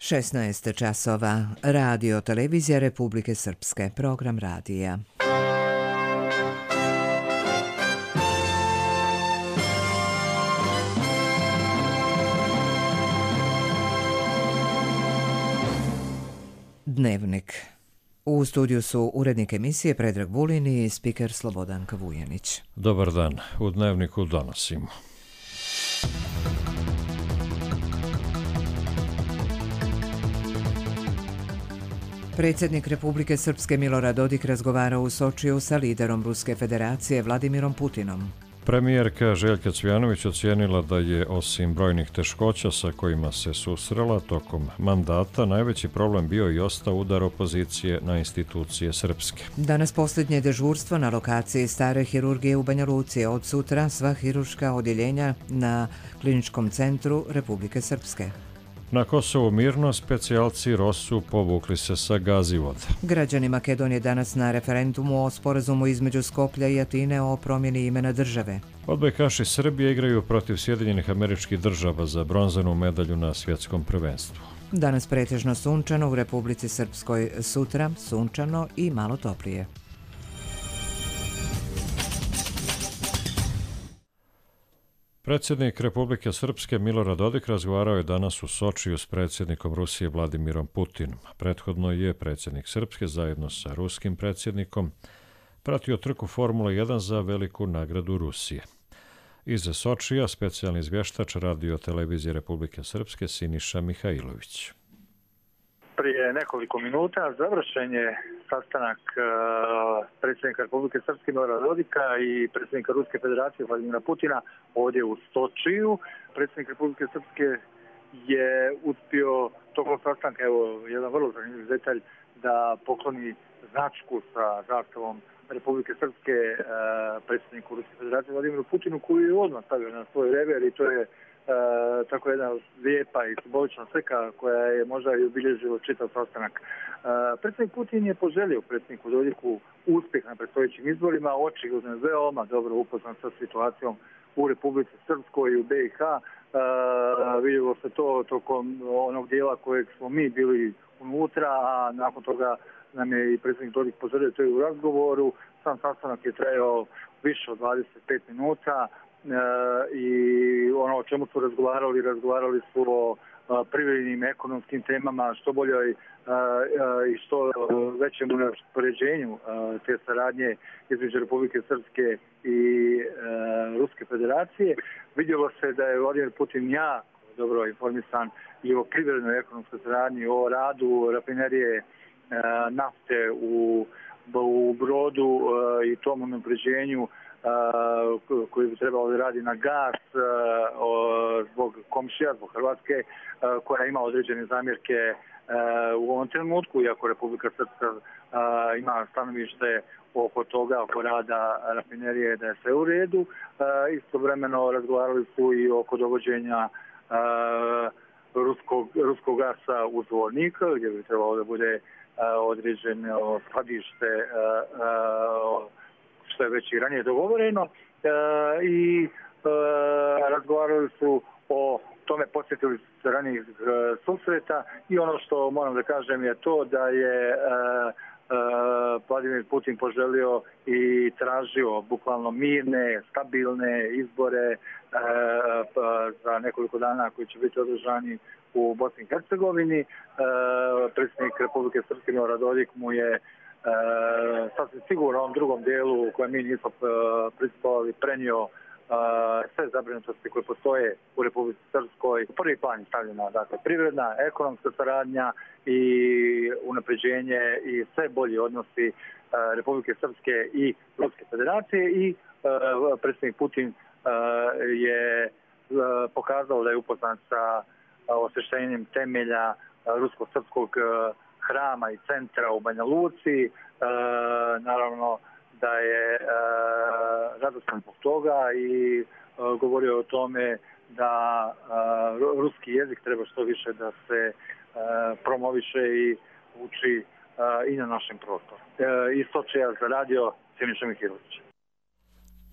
16 časova. Radio televizija Republike Srpske. Program radija. Dnevnik. U studiju su urednik emisije Predrag Vulin i spiker Slobodanka Vujanić. Dobar dan. U Dnevniku donosimo. Predsjednik Republike Srpske Milorad Dodik razgovarao u Sočiju sa liderom Ruske federacije Vladimirom Putinom. Premijerka Željka Cvijanović ocijenila da je, osim brojnih teškoća sa kojima se susrela tokom mandata, najveći problem bio i ostao udar opozicije na institucije srpske. Danas posljednje dežurstvo na lokaciji stare hirurgije u Banja Luci. Od sutra sva hirurška odjeljenja na Kliničkom centru Republike Srpske. Na Kosovu mirno, specijalci ROSU povukli se sa Gazivoda. Građani Makedonije danas na referendumu o sporazumu između Skoplja i Atine o promjeni imena države. Odbojkaši Srbije igraju protiv Sjedinjenih Američkih Država za bronzanu medalju na svjetskom prvenstvu. Danas pretežno sunčano u Republici Srpskoj, sutra sunčano i malo toplije. Predsjednik Republike Srpske Milorad Dodik razgovarao je danas u Sočiju s predsjednikom Rusije Vladimirom Putinom. Prethodno je predsjednik Srpske zajedno sa ruskim predsjednikom pratio trku Formula 1 za veliku nagradu Rusije. Iz Sočija specijalni izvještač radio televizije Republike Srpske Siniša Mihajlović. Prije nekoliko minuta završen je sastanak predsjednika Republike Srpske Milorada Dodika i predsjednika Ruske federacije Vladimira Putina ovdje u Sočiju. Predsjednik Republike Srpske je uspio tokom sastanka, evo jedan vrlo zanimljiv detalj, da pokloni značku sa zastavom Republike Srpske predsjedniku Ruske federacije Vladimiru Putinu, koju je odmah stavio na svoj rever, i to je tako jedna lijepa i simbolična slika koja je možda i obilježila čitav sastanak. Predsjednik Putin je poželio predsjedniku Dodiku uspjeh na predstojećim izborima, očigledno je veoma dobro upoznat sa situacijom u Republici Srpskoj i u BiH. Vidjelo se to tokom onog dijela kojeg smo mi bili unutra, a nakon toga nam je i predsjednik Dodik poželio to i u razgovoru. Sam sastanak je trajao više od 25 minuta. I ono o čemu su razgovarali su o privrednim ekonomskim temama, što boljoj i što većem unapređenju te saradnje između Republike Srpske i Ruske federacije. Vidjelo se da je Vladimir Putin jako dobro informisan i o privrednoj ekonomskoj saradnji, o radu rafinerije nafte u Brodu i tom unapređenju koji bi trebalo da radi na gas zbog komšija, zbog Hrvatske, koja ima određene zamjerke u ovom trenutku, iako Republika Srpska ima stanovište oko toga, oko rada rafinerije, da je sve u redu. Istovremeno razgovarali su i oko dovođenja ruskog gasa u Zvornik, gdje bi trebalo da bude određeno skladište što je već i ranije dogovoreno, i razgovarali su o tome, posjetili se ranijih susreta, i ono što moram da kažem je to da je Vladimir Putin poželio i tražio bukvalno mirne, stabilne izbore za nekoliko dana koji će biti održani u Bosni i Hercegovini. Predsjednik Republike Srpske Milorad Dodik mu je sasvim sigurno u ovom drugom dijelu u kojem mi nismo prisustvovali prenio sve zabrinutosti koje postoje u Republici Srpskoj. U prvi plan je stavljena, dakle, privredna, ekonomska saradnja i unapređenje i sve bolji odnosi Republike Srpske i Ruske federacije, i predsjednik Putin je pokazao da je upoznat sa osvještenjem temelja rusko-srpskog hrama i centra u Banja Luci. Naravno da je radostan zbog toga i govorio o tome da ruski jezik treba što više da se promoviše i uči i na našem prostoru. Iz Sočija za radio Siniša Mihajlović.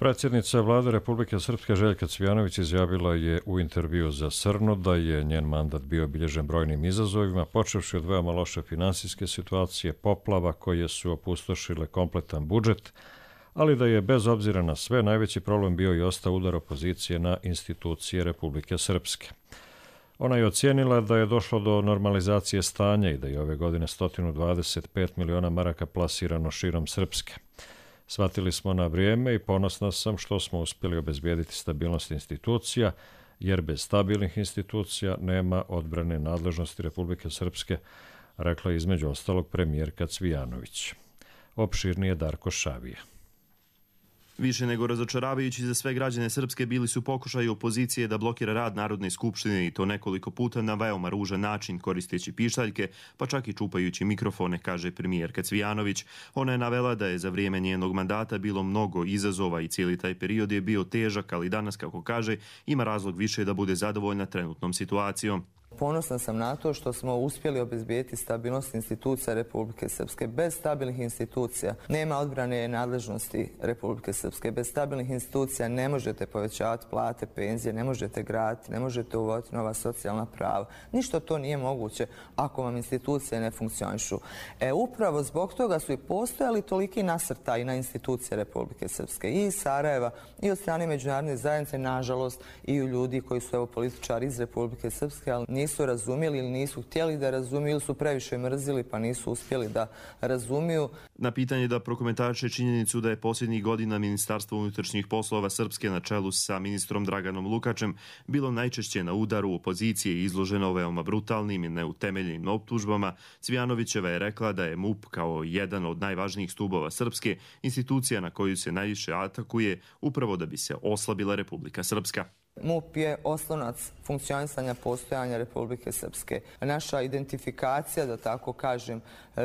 Predsjednica vlade Republike Srpske Željka Cvijanović izjavila je u intervju za Srnu da je njen mandat bio obilježen brojnim izazovima, počevši od veoma loše finansijske situacije, poplava koje su opustošile kompletan budžet, ali da je bez obzira na sve najveći problem bio i ostao udar opozicije na institucije Republike Srpske. Ona je ocijenila da je došlo do normalizacije stanja i da je ove godine 125 miliona maraka plasirano širom Srpske. Shvatili smo na vrijeme i ponosna sam što smo uspjeli obezbijediti stabilnost institucija, jer bez stabilnih institucija nema odbrane nadležnosti Republike Srpske, rekla je između ostalog premijerka Cvijanović. Opširnije Darko Šavija. Više nego razočaravajući za sve građane Srpske bili su pokušaji opozicije da blokira rad Narodne skupštine i to nekoliko puta na veoma ružan način koristeći pištaljke, pa čak i čupajući mikrofone, kaže premijerka Cvijanović. Ona je navela da je za vrijeme njenog mandata bilo mnogo izazova i cijeli taj period je bio težak, ali danas, kako kaže, ima razlog više da bude zadovoljna trenutnom situacijom. Ponosna sam na to što smo uspjeli obezbijeti stabilnost institucija Republike Srpske. Bez stabilnih institucija nema odbrane nadležnosti Republike Srpske. Bez stabilnih institucija ne možete povećavati plate, penzije, ne možete graditi, ne možete uvoditi nova socijalna prava. Ništa to nije moguće ako vam institucije ne funkcionišu. Upravo zbog toga su i postojali toliki nasrtaji na institucije Republike Srpske i iz Sarajeva i od strane međunarodne zajednice, nažalost, i u ljudi koji su političari iz Republike Srpske, ali nisu razumjeli ili nisu htjeli da razumiju ili su previše mrzili pa nisu uspjeli da razumiju. Na pitanje da prokomentariše činjenicu da je posljednjih godina Ministarstvo unutrašnjih poslova Srpske na čelu sa ministrom Draganom Lukačem bilo najčešće na udaru opozicije izloženo veoma brutalnim i neutemeljenim optužbama, Cvijanovićeva je rekla da je MUP kao jedan od najvažnijih stubova Srpske institucija na koju se najviše atakuje upravo da bi se oslabila Republika Srpska. MUP je oslonac funkcionisanja postojanja Republike Srpske. Naša identifikacija, da tako kažem,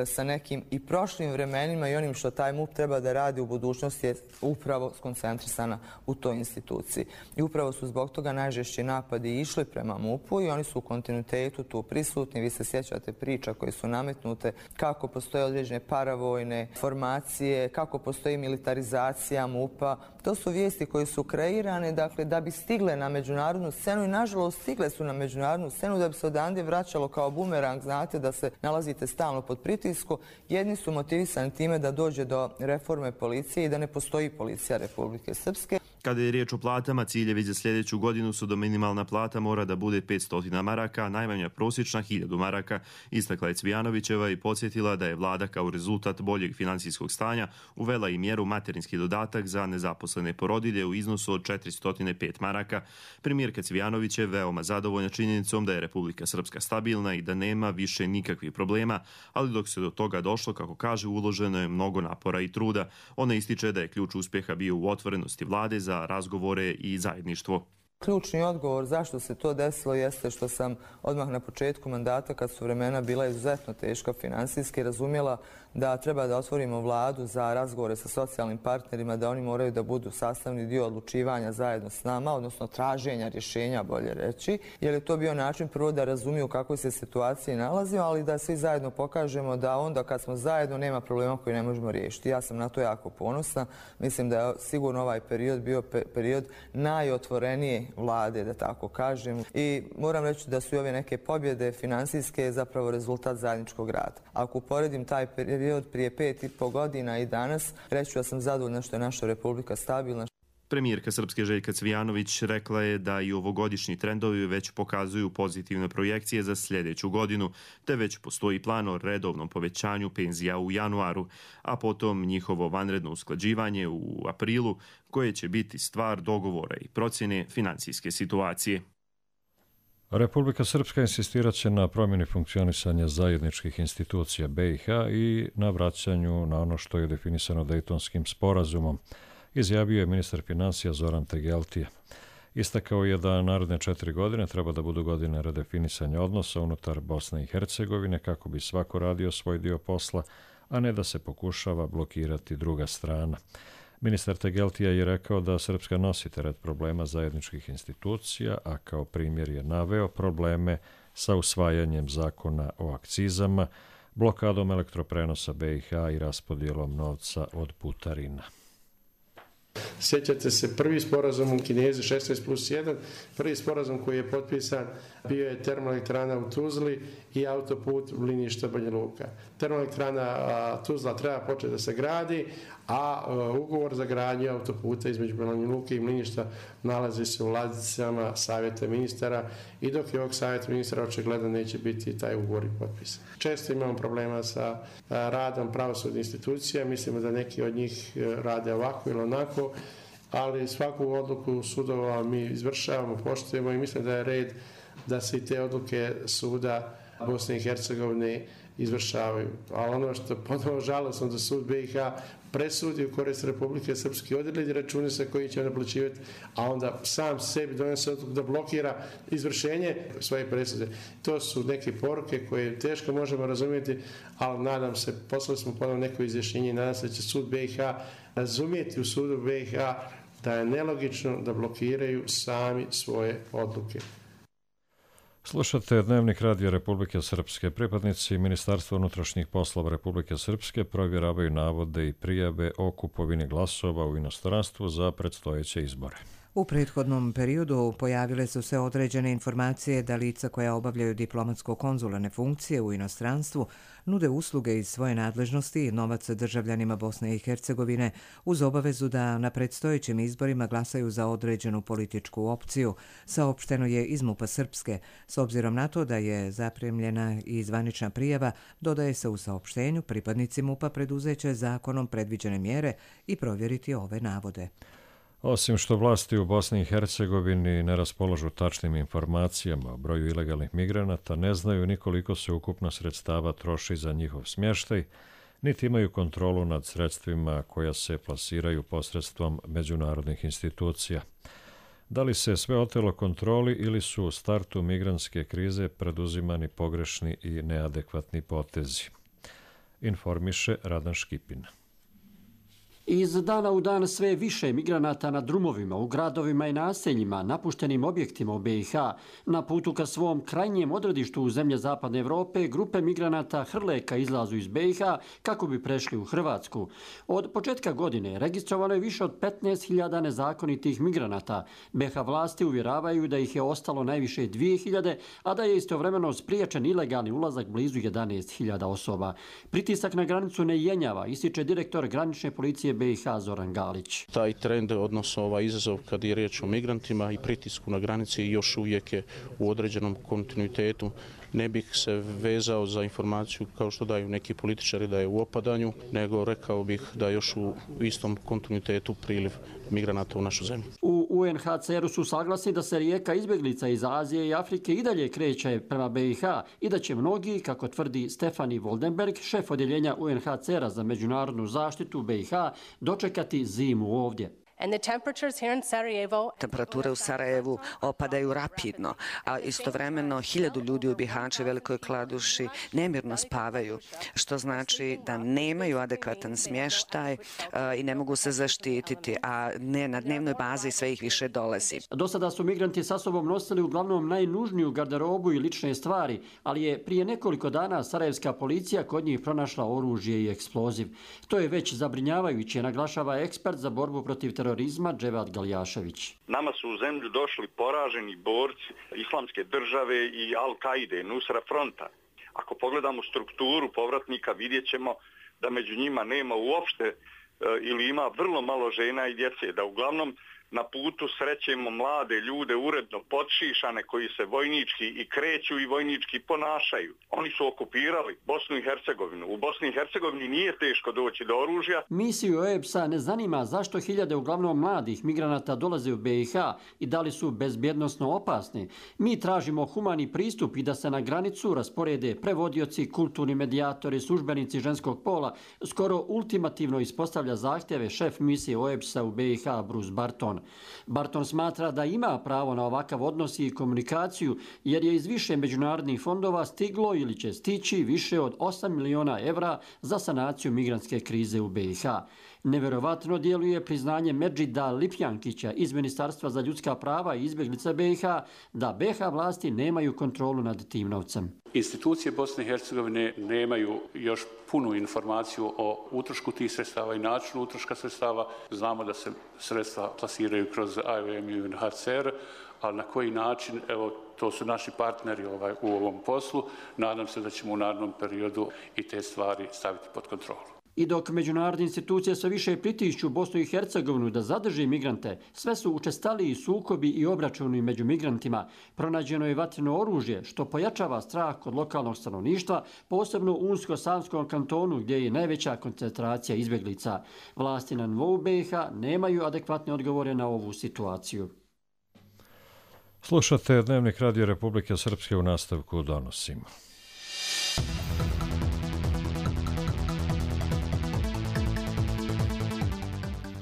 sa nekim i prošlim vremenima i onim što taj MUP treba da radi u budućnosti je upravo skoncentrisana u toj instituciji. I upravo su zbog toga najžešći napadi išli prema MUP-u i oni su u kontinuitetu tu prisutni. Vi se sjećate priča koje su nametnute, kako postoje određene paravojne formacije, kako postoji militarizacija MUP-a. To su vijesti koje su kreirane, dakle, da bi stigle na međunarodnu scenu i nažalost stigle su na međunarodnu scenu da bi se odande vraćalo kao bumerang, znate da se nalazite stalno pod pritisku. Jedni su motivisani time da dođe do reforme policije i da ne postoji policija Republike Srpske. Kada je riječ o platama, ciljevi za sljedeću godinu su da minimalna plata mora da bude 500 maraka, a najmanja prosječna 1000 maraka, istakla je Cvijanovićeva i podsjetila da je vlada kao rezultat boljeg finansijskog stanja uvela i mjeru materinski dodatak za nezaposlene porodilje u iznosu od 405 maraka. Premijerka Cvijanović je veoma zadovoljna činjenicom da je Republika Srpska stabilna i da nema više nikakvih problema, ali dok se do toga došlo, kako kaže, uloženo je mnogo napora i truda. Ona ističe da je ključ uspjeha bio u otvorenosti vlade za razgovore i zajedništvo. Ključni odgovor zašto se to desilo jeste što sam odmah na početku mandata, kad su vremena bila izuzetno teška finansijski, razumjela da treba da otvorimo vladu za razgovore sa socijalnim partnerima, da oni moraju da budu sastavni dio odlučivanja zajedno s nama, odnosno traženja rješenja, bolje reći, jer je to bio način prvo da razumiju u kakvoj se situaciji nalazimo, ali da svi zajedno pokažemo da onda kad smo zajedno nema problema koji ne možemo riješiti. Ja sam na to jako ponosna. Mislim da je sigurno ovaj period bio period najotvorenije vlade, da tako kažem. I moram reći da su i ove neke pobjede finansijske zapravo rezultat zajedničkog rada. Ako uporedim taj period prije 5,5 godina i danas, reći ću da sam zadovoljna što je naša Republika stabilna. Premijerka Srpske Željka Cvijanović rekla je da i ovogodišnji trendovi već pokazuju pozitivne projekcije za sljedeću godinu, te već postoji plan o redovnom povećanju penzija u januaru, a potom njihovo vanredno usklađivanje u aprilu, koje će biti stvar dogovora i procjene financijske situacije. Republika Srpska insistirat će na promjeni funkcionisanja zajedničkih institucija BiH i na vraćanju na ono što je definisano Dejtonskim sporazumom, izjavio je ministar financija Zoran Tegeltija. Istakao je da naredne 4 godine treba da budu godine redefinisanja odnosa unutar Bosne i Hercegovine kako bi svako radio svoj dio posla, a ne da se pokušava blokirati druga strana. Ministar Tegeltija je rekao da Srpska nosi teret problema zajedničkih institucija, a kao primjer je naveo probleme sa usvajanjem zakona o akcizama, blokadom elektroprenosa BiH i raspodjelom novca od putarina. Sjećate se, prvi sporazum u Kinezi 16+1, prvi sporazum koji je potpisan bio je termoelektrana u Tuzli i autoput Mliništa Banja Luka. Termoelektrana Tuzla treba početi da se gradi, a ugovor za gradnju autoputa između Banja Luke i Mliništa nalazi se u ladicama Savjeta ministara i dok je ovog Savjeta ministara očigledno neće biti taj ugovor i potpisan. Često imamo problema sa radom pravosudnih institucija, mislimo da neki od njih rade ovako ili onako, ali svaku odluku sudova mi izvršavamo, poštujemo i mislim da je red da se i te odluke suda Bosne i Hercegovine izvršavaju. Ali ono što ponovo žalosno da sud BiH presudi u korist Republike Srpske, odredi račune sa koji će naplaćivati, a onda sam sebi donese odluku da blokira izvršenje svoje presude. To su neke poruke koje teško možemo razumjeti, ali nadam se, poslali smo ponovo neko izjašnjenje i nadam se da će sud BiH razumjeti u sudu BiH da je nelogično da blokiraju sami svoje odluke. Slušate Dnevnik radija Republike Srpske. Pripadnici Ministarstva unutrašnjih poslova Republike Srpske provjeravaju navode i prijave o kupovini glasova u inostranstvu za predstojeće izbore. U prethodnom periodu pojavile su se određene informacije da lica koja obavljaju diplomatsko-konzularne funkcije u inostranstvu nude usluge iz svoje nadležnosti i novac državljanima Bosne i Hercegovine uz obavezu da na predstojećim izborima glasaju za određenu političku opciju, saopšteno je iz MUP-a Srpske. S obzirom na to da je zapremljena i zvanična prijava, dodaje se u saopštenju, pripadnici MUP-a preduzeće zakonom predviđene mjere i provjeriti ove navode. Osim što vlasti u Bosni i Hercegovini ne raspolažu tačnim informacijama o broju ilegalnih migranata, ne znaju ni koliko se ukupno sredstava troši za njihov smještaj, niti imaju kontrolu nad sredstvima koja se plasiraju posredstvom međunarodnih institucija. Da li se sve otelo kontroli ili su u startu migrantske krize preduzimani pogrešni i neadekvatni potezi? Informiše Radan Škipin. Iz dana u dan sve više migranata na drumovima, u gradovima i naseljima, napuštenim objektima u BiH, na putu ka svom krajnjem odredištu u zemlje Zapadne Evrope, grupe migranata hrle ka izlazu iz BiH kako bi prešli u Hrvatsku. Od početka godine registrovano je više od 15.000 nezakonitih migranata. BiH vlasti uvjeravaju da ih je ostalo najviše 2.000, a da je istovremeno spriječen ilegalni ulazak blizu 11.000 osoba. Pritisak na granicu ne jenjava, ističe direktor granične policije BiH Zoran Galić. Taj trend, odnosno ovaj izazov kad je riječ o migrantima i pritisku na granici još uvijek je u određenom kontinuitetu. Ne bih se vezao za informaciju kao što daju neki političari da je u opadanju, nego rekao bih da još u istom kontinuitetu priliv migranata u našu zemlju. U UNHCR-u su saglasni da se rijeka izbjeglica iz Azije i Afrike i dalje kreće prema BiH i da će mnogi, kako tvrdi Stefani Voldenberg, šef odjeljenja UNHCR-a za međunarodnu zaštitu BiH, dočekati zimu ovdje. Temperature u Sarajevu opadaju rapidno, a istovremeno 1000 ljudi u Bihaću i Velikoj Kladuši nemirno spavaju, što znači da nemaju adekvatan smještaj i ne mogu se zaštititi, a ne na dnevnoj bazi sve ih više dolazi. Do sada su migranti sa sobom nosili uglavnom najnužniju garderobu i lične stvari, ali je prije nekoliko dana sarajevska policija kod njih pronašla oružje i eksploziv. To je već zabrinjavajuće, naglašava ekspert za borbu protiv terorizma Dževad Galjašević. Nama su u zemlju došli poraženi borci Islamske države i Al-Kaide, Nusra fronta. Ako pogledamo strukturu povratnika, vidjet ćemo da među njima nema uopšte ili ima vrlo malo žena i djece, da uglavnom na putu srećemo mlade ljude uredno podšišane koji se vojnički i kreću i vojnički ponašaju. Oni su okupirali Bosnu i Hercegovinu. U Bosni i Hercegovini nije teško doći do oružja. Misiju OEBS-a ne zanima zašto hiljade uglavnom mladih migranata dolaze u BiH i da li su bezbjednosno opasni. Mi tražimo humani pristup i da se na granicu rasporede prevodioci, kulturni medijatori, službenici ženskog pola. Skoro ultimativno ispostavlja zahtjeve šef misije OEBS-a u BiH Bruce Barton. Barton smatra da ima pravo na ovakav odnos i komunikaciju jer je iz više međunarodnih fondova stiglo ili će stići više od 8 miliona evra za sanaciju migrantske krize u BiH. Neverovatno djeluje priznanje Medžida Lipjankića iz Ministarstva za ljudska prava i izbjeglica BiH da BiH vlasti nemaju kontrolu nad tim novcem. Institucije Bosne i Hercegovine nemaju još punu informaciju o utrošku tih sredstava i načinu utroška sredstava. Znamo da se sredstva plasiraju kroz IOM i UNHCR, ali na koji način, evo, to su naši partneri u ovom poslu. Nadam se da ćemo u narednom periodu i te stvari staviti pod kontrolu. I dok međunarodne institucije sve više pritišću Bosnu i Hercegovinu da zadrži migrante, sve su učestaliji sukobi i obračuni među migrantima. Pronađeno je vatreno oružje, što pojačava strah kod lokalnog stanovništva, posebno u Unsko-Sanskom kantonu, gdje je najveća koncentracija izbjeglica. Vlasti na nivou BiH nemaju adekvatne odgovore na ovu situaciju. Slušate Dnevnik Radio Republike Srpske, u nastavku donosimo.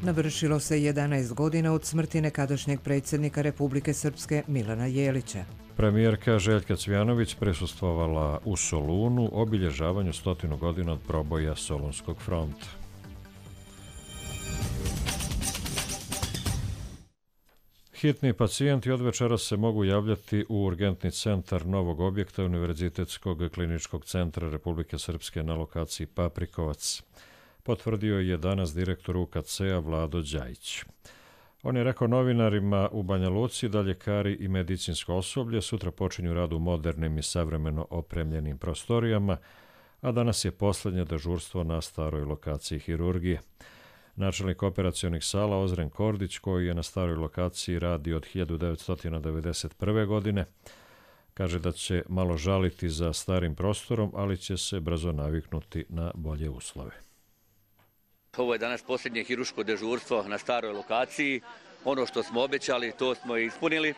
Navršilo se 11 godina od smrti nekadašnjeg predsjednika Republike Srpske Milana Jelića. Premijerka Željka Cvijanović prisustvovala u Solunu obilježavanju 100 godina od proboja Solunskog fronta. Hitni pacijenti od večeras se mogu javljati u urgentni centar novog objekta Univerzitetskog kliničkog centra Republike Srpske na lokaciji Paprikovac. Potvrdio je danas direktor UKC-a Vlado Đajić. On je rekao novinarima u Banja Luci da ljekari i medicinsko osoblje sutra počinju rad u modernim i savremeno opremljenim prostorijama, a danas je posljednje dežurstvo na staroj lokaciji hirurgije. Načelnik operacionih sala Ozren Kordić, koji je na staroj lokaciji radi od 1991. godine, kaže da će malo žaliti za starim prostorom, ali će se brzo naviknuti na bolje uslove. Ovo je danas posljednje hirurško dežurstvo na staroj lokaciji. Ono što smo obećali, to smo i ispunili.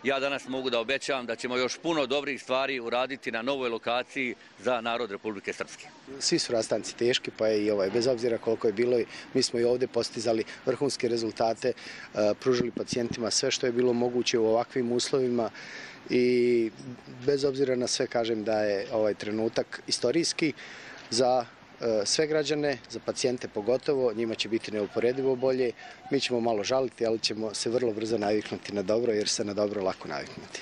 Ja danas mogu da obećam da ćemo još puno dobrih stvari uraditi na novoj lokaciji za narod Republike Srpske. Svi su rastanci teški, pa je i bez obzira koliko je bilo, mi smo i ovdje postizali vrhunske rezultate, pružili pacijentima sve što je bilo moguće u ovakvim uslovima i bez obzira na sve kažem da je ovaj trenutak istorijski za sve građane, za pacijente pogotovo, njima će biti neuporedivo bolje. Mi ćemo malo žaliti, ali ćemo se vrlo brzo naviknuti na dobro, jer se na dobro lako naviknuti.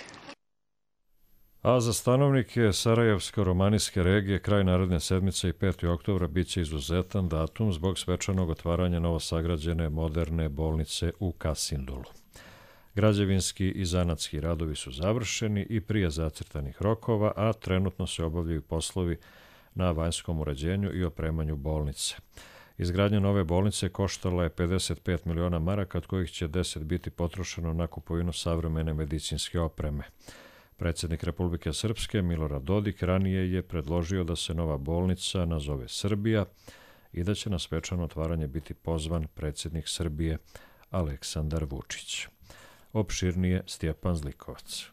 A za stanovnike Sarajevsko-romanijske regije kraj naredne sedmice i 5. oktobra bit će izuzetan datum zbog svečanog otvaranja novosagrađene moderne bolnice u Kasindulu. Građevinski i zanatski radovi su završeni i prije zacrtanih rokova, a trenutno se obavljaju poslovi na vanjskom uređenju i opremanju bolnice. Izgradnja nove bolnice koštala je 55 miliona maraka, od kojih će 10 biti potrošeno na kupovinu savremene medicinske opreme. Predsjednik Republike Srpske Milorad Dodik ranije je predložio da se nova bolnica nazove Srbija i da će na svečano otvaranje biti pozvan predsjednik Srbije Aleksandar Vučić. Opširnije Stjepan Zlikovac.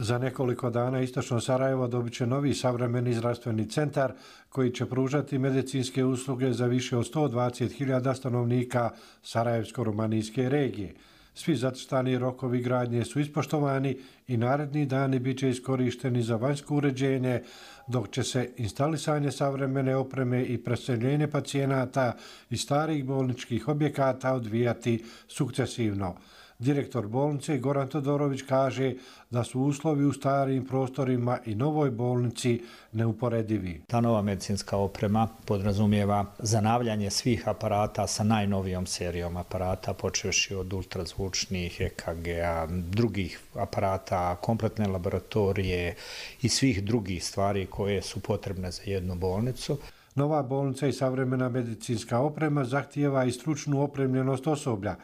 Za nekoliko dana istočno Sarajevo dobit će novi savremeni zdravstveni centar koji će pružati medicinske usluge za više od 120.000 stanovnika Sarajevsko-romanijske regije. Svi zacrtani rokovi gradnje su ispoštovani i naredni dani bit će iskorišteni za vanjsko uređenje, dok će se instalisanje savremene opreme i preseljenje pacijenata iz starih bolničkih objekata odvijati sukcesivno. Direktor bolnice Goran Todorović kaže da su uslovi u starim prostorima i novoj bolnici neuporedivi. Ta nova medicinska oprema podrazumijeva zanavljanje svih aparata sa najnovijom serijom aparata, počevši od ultrazvučnih, EKG-a, drugih aparata, kompletne laboratorije i svih drugih stvari koje su potrebne za jednu bolnicu. Nova bolnica i savremena medicinska oprema zahtijeva i stručnu opremljenost osoblja.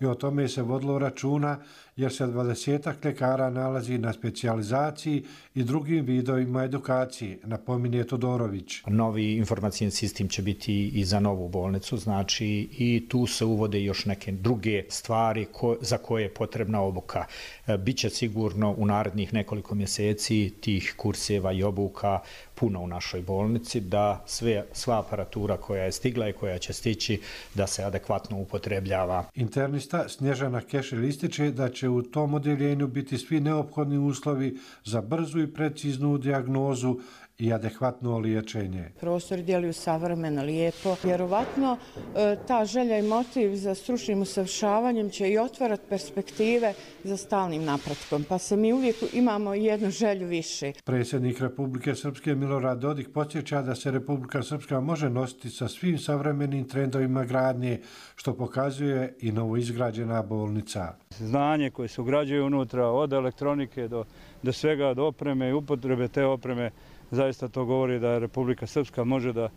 I o tome se vodilo računa jer se 20 ljekara nalazi na specijalizaciji i drugim vidovima edukacije, napominje Todorović. Novi informacijni sistem će biti i za novu bolnicu, znači i tu se uvode još neke druge stvari za koje je potrebna obuka. Biće sigurno u narednih nekoliko mjeseci tih kurseva i obuka puno u našoj bolnici, da sva aparatura koja je stigla i koja će stići da se adekvatno upotrebljava. Internista Snježana Kešelj ističe da će će u tom odeljenju biti svi neophodni uslovi za brzu i preciznu dijagnozu i adekvatno liječenje. Prostor djeluju savremeno, lijepo. Vjerovatno ta želja i motiv za stručnim usavršavanjem će i otvarati perspektive za stalnim napretkom, pa se mi uvijek imamo jednu želju više. Predsjednik Republike Srpske Milorad Dodik podsjeća da se Republika Srpska može nositi sa svim savremenim trendovima gradnje, što pokazuje i novoizgrađena bolnica. Znanje koje se ugrađuje unutra, od elektronike do svega, do opreme i upotrebe te opreme, zaista to govori da Republika Srpska može da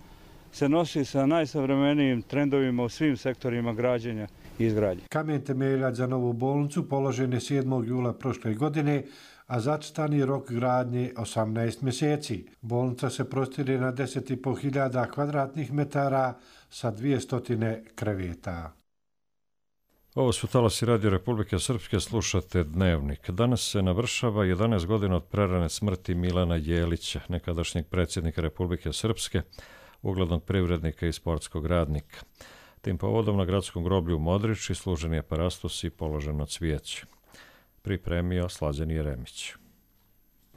se nosi sa najsavremenijim trendovima u svim sektorima građenja i izgradnje. Kamen temeljac za novu bolnicu položen je 7. jula prošle godine, a zacrtani rok gradnje 18 mjeseci. Bolnica se prostire na 10.500 kvadratnih metara sa 200 kreveta. Ovo su talasi Radio Republike Srpske, slušate Dnevnik. Danas se navršava 11 godina od prerane smrti Milana Jelića, nekadašnjeg predsjednika Republike Srpske, uglednog privrednika i sportskog radnika. Tim povodom na gradskom groblju u Modriči služen je parastos i položeno cvijeće. Pripremio Slađan Jeremić.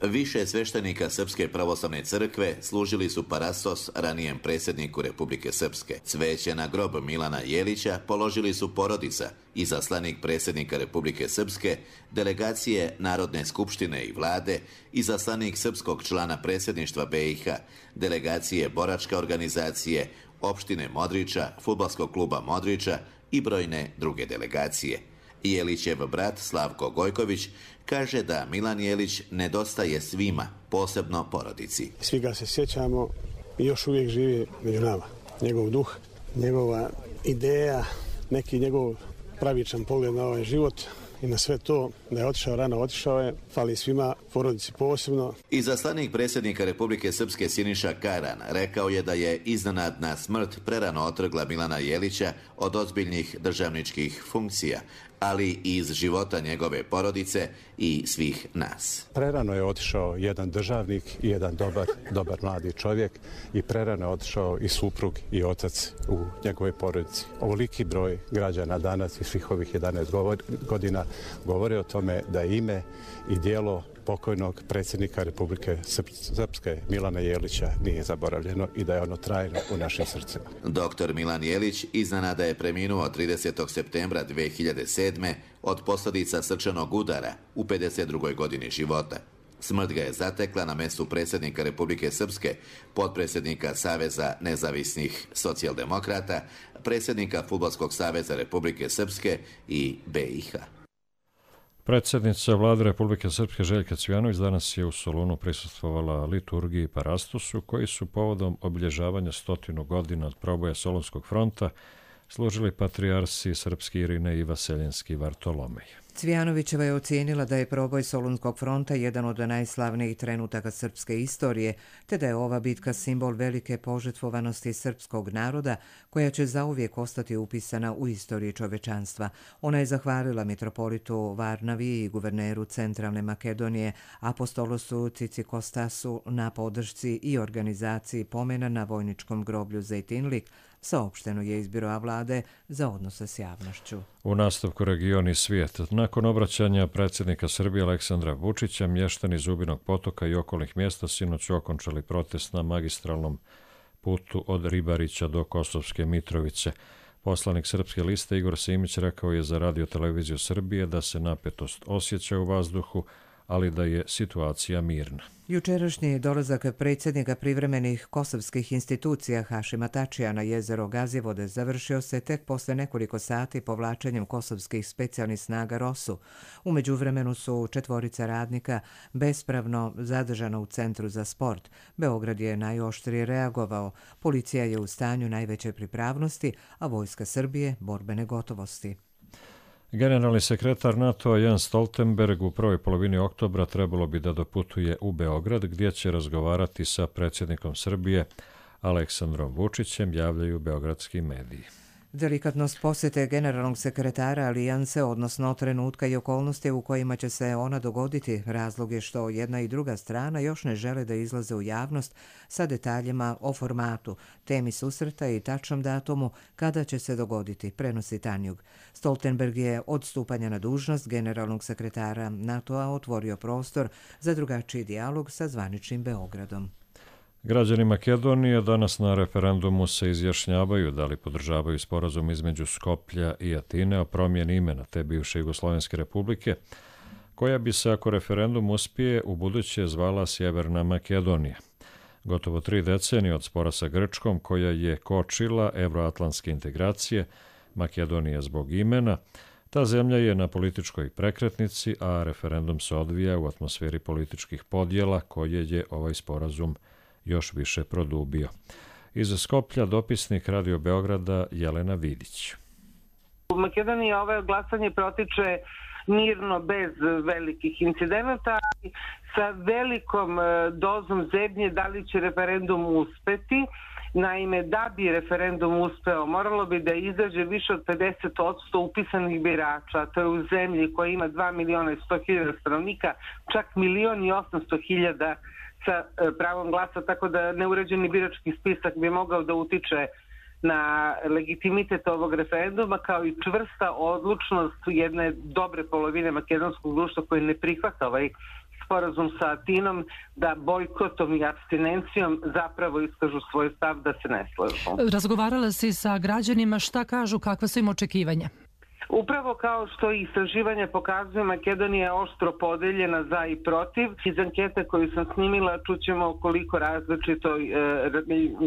Više sveštenika Srpske pravoslavne crkve služili su parastos ranijem predsjedniku Republike Srpske. Cveće na grob Milana Jelića položili su porodica, izaslanik predsjednika Republike Srpske, delegacije Narodne skupštine i vlade, izaslanik srpskog člana predsjedništva BiH, delegacije boračke organizacije, opštine Modriča, fudbalskog kluba Modriča i brojne druge delegacije. Jelićev brat Slavko Gojković kaže da Milan Jelić nedostaje svima, posebno porodici. Svi ga se sjećamo i još uvijek živi među nama. Njegov duh, njegova ideja, neki njegov pravičan pogled na ovaj život i na sve to, da je otišao rano, otišao je, fali svima, porodici posebno. Izaslanik predsjednika Republike Srpske Siniša Karan rekao je da je iznenadna smrt prerano otrgla Milana Jelića od ozbiljnih državničkih funkcija, ali i iz života njegove porodice i svih nas. Prerano je otišao jedan državnik i jedan dobar mladi čovjek i prerano je otišao i suprug i otac u njegove porodici. Ovoliki broj građana danas i svih ovih 11 godina govore o tome da ime i djelo pokojnog predsjednika Republike Srpske Milana Jelića nije zaboravljeno i da je ono trajno u našim srcima. Doktor Milan Jelić iznenada je preminuo 30. septembra 2007. od posljedica srčanog udara u 52. godini života. Smrt ga je zatekla na mjestu predsjednika Republike Srpske, potpredsjednika Saveza nezavisnih socijaldemokrata, predsjednika Fudbalskog saveza Republike Srpske i BiH. Predsjednica Vlade Republike Srpske Željka Cvijanović danas je u Solunu prisustvovala liturgiji i parastosu koji su povodom obilježavanja 100 godina od proboja Solunskog fronta služili patrijarsi Srpski Irine i Vaseljenski Vartolomej. Cvijanovićeva je ocijenila da je proboj Solunskog fronta jedan od najslavnijih trenutaka srpske istorije, te da je ova bitka simbol velike požrtvovanosti srpskog naroda koja će zauvijek ostati upisana u istoriji čovečanstva. Ona je zahvalila mitropolitu Varnavi i guverneru Centralne Makedonije apostolosu Cicikostasu na podršci i organizaciji pomena na vojničkom groblju Zejtinlik, saopšteno je iz Biroa vlade za odnose s javnošću. U nastavku region i svijet. Nakon obraćanja predsjednika Srbije Aleksandra Vučića, mještani Zubinog potoka i okolnih mjesta sinoć okončali protest na magistralnom putu od Ribarića do Kosovske Mitrovice. Poslanik Srpske liste Igor Simić rekao je za Radio televiziju Srbije da se napetost osjeća u vazduhu, ali da je situacija mirna. Jučerašnji dolazak predsjednika privremenih kosovskih institucija Hašima Tačija na jezero Gazivode završio se tek posle nekoliko sati povlačenjem kosovskih specijalnih snaga ROSU. U međuvremenu su 4 radnika bespravno zadržana u Centru za sport. Beograd je najoštrije reagovao. Policija je u stanju najveće pripravnosti, a vojska Srbije borbene gotovosti. Generalni sekretar NATO Jens Stoltenberg u prvoj polovini oktobra trebalo bi da doputuje u Beograd gdje će razgovarati sa predsjednikom Srbije Aleksandrom Vučićem, javljaju beogradski mediji. Delikatnost posjete generalnog sekretara Alijanse, odnosno trenutka i okolnosti u kojima će se ona dogoditi, razlog je što jedna i druga strana još ne žele da izlaze u javnost sa detaljima o formatu, temi susreta i tačnom datumu kada će se dogoditi, prenosi Tanjug. Stoltenberg je od stupanja na dužnost generalnog sekretara NATO-a otvorio prostor za drugačiji dijalog sa zvaničnim Beogradom. Građani Makedonije danas na referendumu se izjašnjavaju da li podržavaju sporazum između Skoplja i Atine o promjeni imena te bivše Jugoslovenske republike, koja bi se, ako referendum uspije, u buduće zvala Sjeverna Makedonija. Gotovo 3 decenije od spora sa Grčkom, koja je kočila evroatlantske integracije, Makedonija zbog imena, ta zemlja je na političkoj prekretnici, a referendum se odvija u atmosferi političkih podjela koje je ovaj sporazum još više produbio. Iz Skoplja dopisnik Radio Beograda Jelena Vidić. U Makedoniji ovo glasanje protiče mirno, bez velikih incidenata, sa velikom dozom zebnje da li će referendum uspeti. Naime, da bi referendum uspeo, moralo bi da izađe više od 50% upisanih birača. To je u zemlji koja ima 2.100.000 stanovnika, čak 1.800.000 sa pravom glasa, tako da neuređeni birački spisak bi mogao da utiče na legitimitet ovog referenduma, kao i čvrsta odlučnost jedne dobre polovine makedonskog društva koje ne prihvata ovaj sporazum sa Atinom, da bojkotom i apstinencijom zapravo iskažu svoj stav da se ne slažu. Razgovarala si sa građanima, šta kažu, kakva su im očekivanja? Upravo kao što i istraživanje pokazuje, Makedonija je oštro podeljena za i protiv. Iz ankete koju sam snimila čućemo koliko različito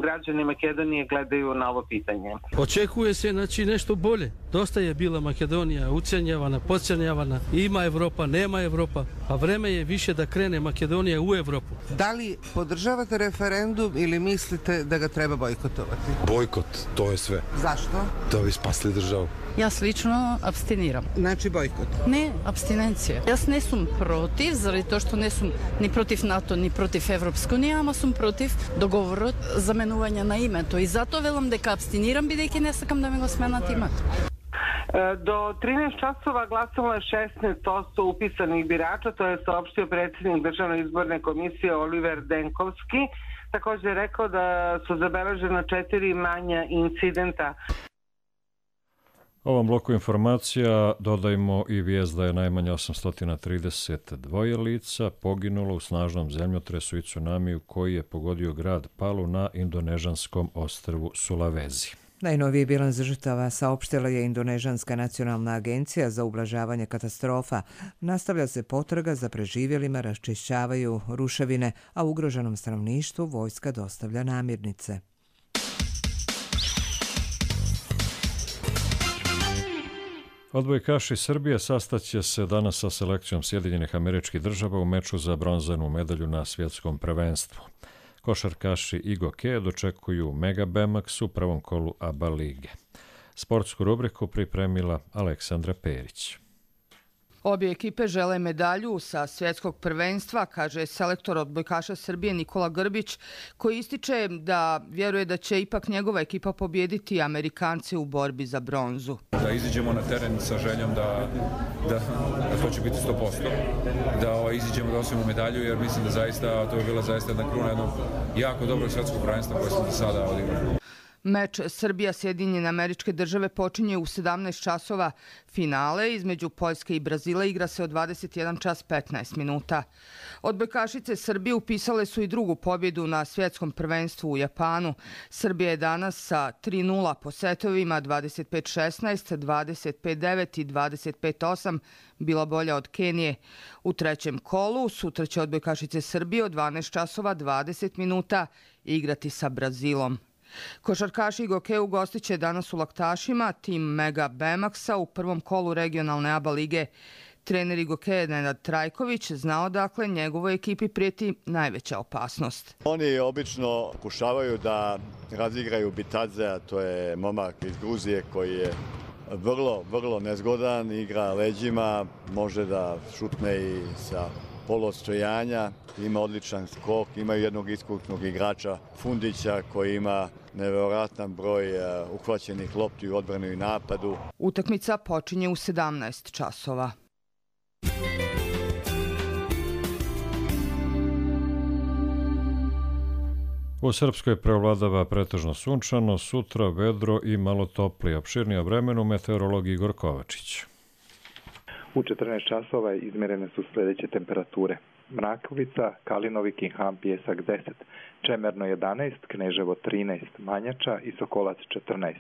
građani Makedonije gledaju na ovo pitanje. Očekuje se nešto bolje. Dosta je bila Makedonija ucenjavana, podcjenjavana. Ima Evropa, nema Evropa, a vreme je više da krene Makedonija u Evropu. Da li podržavate referendum ili mislite da ga treba bojkotovati? Bojkot, to je sve. Zašto? Da bi spasli državu. Ja lično abstiniram. Znači bojkot? Ne, abstinencija. Jaz ne sam protiv, zaradi to što ne sam ni protiv NATO, ni protiv Evropske unije, ama sam protiv dogovora zamenovanja na ime. To i zato velim da abstiniram, бидејќи не сакам да ме го сменат името. Do 13 časova glasalo je 16% upisanih birača, to je saopštio predsjednik Državne izborne komisije Oliver Denkovski. Također je rekao da su zabeležena 4 manja incidenta. Ovom bloku informacija dodajmo i vijest da je najmanje 832 lica poginulo u snažnom zemljotresu i tsunamiju koji je pogodio grad Palu na indonežanskom ostrvu Sulawesi. Najnoviji bilans žrtava saopštila je Indonežanska nacionalna agencija za ublažavanje katastrofa. Nastavlja se potraga za preživjelima, raščišćavaju ruševine, a ugroženom stanovništvu vojska dostavlja namirnice. Odbojkaši Srbije sastaće se danas sa selekcijom Sjedinjenih Američkih Država u meču za bronzanu medalju na svjetskom prvenstvu. Košarkaši i gokeje dočekuju Mega Bemax u prvom kolu ABA lige. Sportsku rubriku pripremila Aleksandra Perić. Obje ekipe žele medalju sa svjetskog prvenstva, kaže selektor odbojkaša Srbije Nikola Grbić, koji ističe da vjeruje da će ipak njegova ekipa pobijediti Amerikance u borbi za bronzu. Da iziđemo na teren sa željom da to će biti 100%, da iziđemo da osvojimo medalju, jer mislim da zaista to je bila zaista jedna kruna jednog jako dobrog svjetskog prvenstva koje smo do sada odigrali. Meč Srbija-Sjedinjene Američke Države počinje u 17 časova. Finale između Poljske i Brazila igra se od 21 čas 15 minuta. Odbojkašice Srbije upisale su i drugu pobjedu na svjetskom prvenstvu u Japanu. Srbija je danas sa 3:0 po setovima 25-16, 25-9 i 25-8 bila bolja od Kenije. U trećem kolu sutra će odbojkašice Srbije od 12 časova 20 minuta igrati sa Brazilom. Košarkaši i gokeji ugostit će danas u Laktašima tim Mega Bemaxa u prvom kolu regionalne ABA lige. Trener gokeja Nenad Trajković znao dakle njegovoj ekipi prijeti najveća opasnost. Oni obično pokušavaju da razigraju Bitadzea, to je momak iz Gruzije koji je vrlo nezgodan, igra leđima, može da šutne i sa polostojanja, ima odličan skok, ima jednog iskusnog igrača Fundića koji ima nevjerojatan broj uhvaćenih lopti u odbranu i napadu. Utakmica počinje u 17 časova. U Srpskoj preovladava pretežno sunčano, sutra vedro i malo toplije. Opširnije o vremenu meteorolog Igor Kovačić. U 14 časova izmjerene su sljedeće temperature. Mrakovica, Kalinovik i Ham Pjesak 10, Čemerno 11, Kneževo 13, Manjača i Sokolac 14.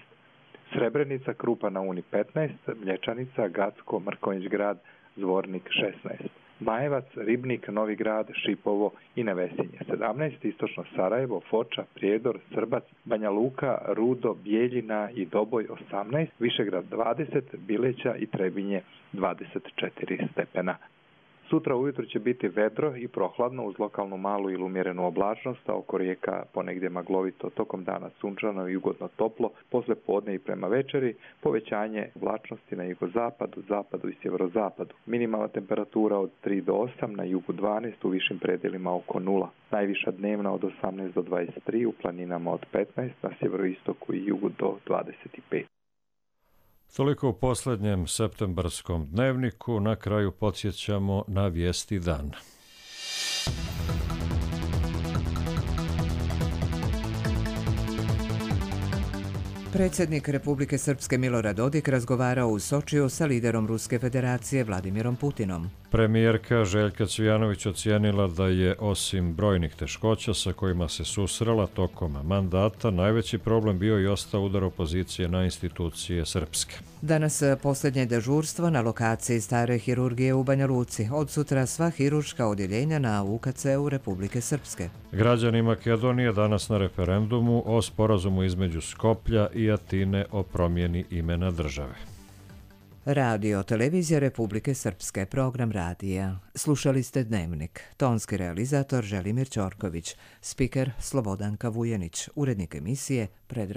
Srebrenica, Krupa na Uni 15, Mlječanica, Gacko, Mrkonjić grad, Zvornik 16. Majevac, Ribnik, Novi grad, Šipovo i Nevesinje 17, Istočno Sarajevo, Foča, Prijedor, Srbac, Banja Luka, Rudo, Bijeljina i Doboj 18, Višegrad 20, Bileća i Trebinje 24 stepena. Sutra ujutro će biti vedro i prohladno uz lokalnu malu ili umjerenu oblačnost, a oko rijeka ponegdje maglovito, tokom dana sunčano i ugodno toplo, posle podne i prema večeri povećanje oblačnosti na jugozapadu, zapadu i sjeverozapadu. Minimalna temperatura od 3 do 8, na jugu 12, u višim predelima oko 0. Najviša dnevna od 18 do 23, u planinama od 15, na sjeveroistoku i jugu do 25. Toliko u posljednjem septembarskom dnevniku. Na kraju podsjećamo na vijesti dana. Predsjednik Republike Srpske Milorad Dodik razgovarao u Sočiju sa liderom Ruske federacije Vladimirom Putinom. Premijerka Željka Cvijanović ocijenila da je osim brojnih teškoća sa kojima se susrela tokom mandata, najveći problem bio i ostao udar opozicije na institucije srpske. Danas posljednje dežurstvo na lokaciji stare hirurgije u Banja Luci. Od sutra sva hirurška odjeljenja na UKC-u Republike Srpske. Građani Makedonije danas na referendumu o sporazumu između Skoplja i Atine o promjeni imena države. Radio Televizija Republike Srpske, program radija. Slušali ste Dnevnik. Tonski realizator Želimir Ćorković, spiker Slobodanka Vujenić, urednik emisije Predrag